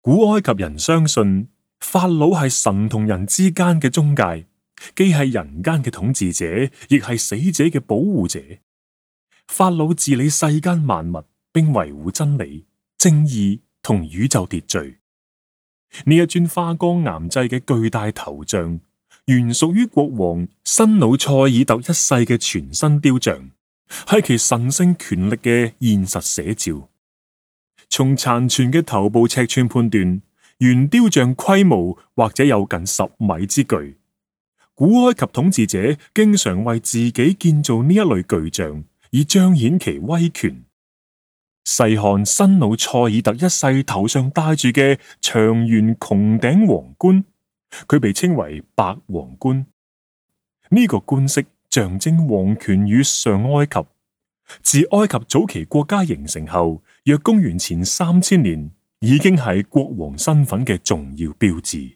古埃及人相信法老係神同人之間嘅中介，既係人間嘅統治者，亦係死者嘅保護者。法老治理世間萬物，並維護真理、正義同宇宙秩序。呢一尊花崗岩製嘅巨大頭像，原屬於國王新努塞爾特一世嘅全新雕像，係其神聖權力嘅現實寫照。從殘存嘅頭部尺寸判斷，原雕像規模或者有近10米之巨。古埃及統治者經常為自己建造呢一類巨像，以彰顯其威權。細看新努塞爾特一世頭上戴住嘅長圓穹頂皇冠，佢被稱為白皇冠。呢個冠飾象徵皇權與上埃及。自埃及早期國家形成後，約公元前3000年，已經係國王身份嘅重要標誌。